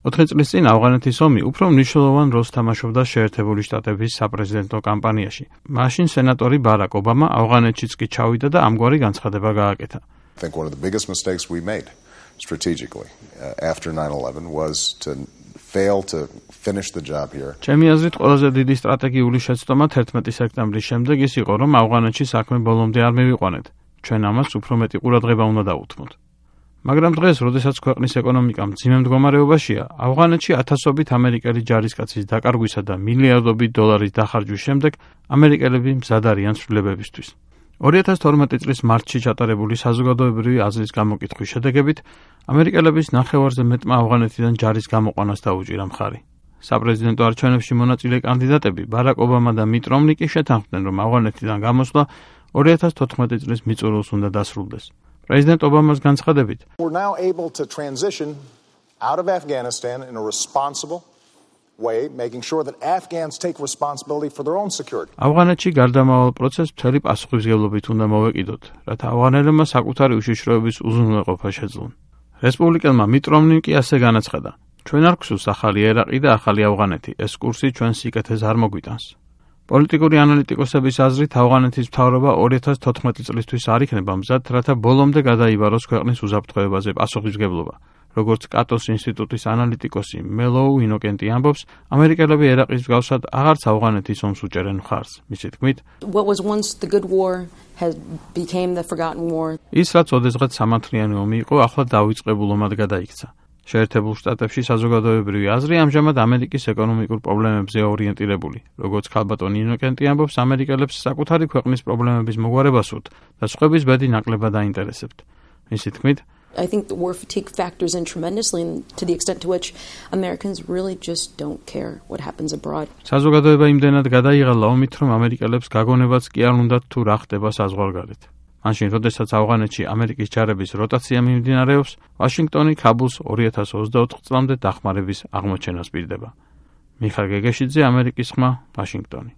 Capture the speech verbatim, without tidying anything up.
ოთხი წლის წინ ავღანეთის ომი უფრო მნიშვნელოვან როლს თამაშობდა შეერთებული შტატების საპრეზიდენტო კამპანიაში. მაშინ სენატორი ბარაკ ობამა ავღანეთშიც კი ჩავიდა და ამგვარი განცხადება გააკეთა. I think one of the biggest mistakes we made strategically uh, after nine eleven was to fail to finish the job here. ჩემი აზრით ყველაზე დიდი სტრატეგიული შეცდომა თერთმეტი სექტემბრის შემდეგ ის იყო, რომ ავღანეთში საქმე ბოლომდე არ მივიყვანეთ. ჩვენ ამას უფრო მეტი ყურადღება უნდა დავუთმოთ. მაგრამ დღეს, როდესაც ქვეყნის ეკონომიკა მძიმე მდგომარეობაშია, ავღანეთში ათასობით ამერიკელი ჯარისკაცის დაკარგვისა და მილიარდობით დოლარის დახარჯვის შემდეგ ამერიკელები მზად არიან ცვლილებებისთვის. ორი ათას თორმეტი წლის მარტში ჩატარებული საზოგადოებრივი აზრის გამოკითხვის შედეგებით ამერიკელების ნახევარზე მეტმა ავღანეთიდან ჯარის გამოყვანას დაუჭირა მხარი. საპრეზიდენტო არჩევნებში მონაწილე კანდიდატები ბარაკ ობამა და მიტ რომნი კი შეთანხმდნენ, რომ ავღანეთიდან გამოსვლა ორი ათას თოთხმეტი წლის მიწურულს უნდა დასრულდეს. პრეზიდენტ ობამას განცხადებით, We're now able to transition out of Afghanistan in a responsible way, making sure that Afghans take responsibility for their own security. ავღანეთში გარდამავალ პროცესს მთელი პასუხისმგებლობით უნდა მოვეკიდოთ, რათა ავღანელებმა საკუთარი უშიშროების უზრუნველყოფა შეძლონ. რესპუბლიკელმა მიტ რომნიმ კი ასე განაცხადა, ჩვენ არ გვსურს ახალი ერაყი და ახალი ავღანეთი, ეს კურსი ჩვენ სიკეთეს არ მოგვიტანს. პოლიტიკური ანალიტიკოსების აზრით ავღანეთის მთავრობა ორი ათას თოთხმეტი წლისთვის არ იქნება მზად, რათა ბოლომდე გადაიბაროს ქვეყნის უსაფრთხოებაზე პასუხისმგებლობა. როგორც კატოს ინსტიტუტის ანალიტიკოსი მელოუ ინოკენტი ამბობს, ამერიკელები ერაყის მსგავსად აღარც ავღანეთის ომს უჭერენ მხარს. მისი თქმით, What was once the good war has became the forgotten war. ის რაც ოდესღაც სამართლიანი ომი იყო, ახლა დავიწყებულ ომად გადაიქცა. შეერთებულ შტატებში საზოგადოებრივი აზრი ამჟამად ამერიკის ეკონომიკურ პრობლემებზე ორიენტირებული. როგორც ქალბატონი ინოკენტი ამბობს, ამერიკელებს საკუთარი ქვეყნის პრობლემების მოგვარება სურთ და სხვების ბედი ნაკლებად აინტერესებთ. მისი თქმით, I think the war fatigue factors in tremendously to the extent to which Americans really just don't care what happens abroad. საზოგადოება იმდენად გადაიღალა ომით, რომ ამერიკელებს გაგონებაც კი არ უნდათ თუ რა ხდება საზღვარგარეთ. მაშინ, როდესაც ავღანეთში ამერიკის ჯარების როტაცია მიმდინარეობს, ვაშინგტონი ქაბულს ორი ათას ოცდაოთხ წლამდე დახმარების აღმოჩენას პირდება. მიხარ გეგეშიძე, ამერიკის ხმა, ვაშინგტონი.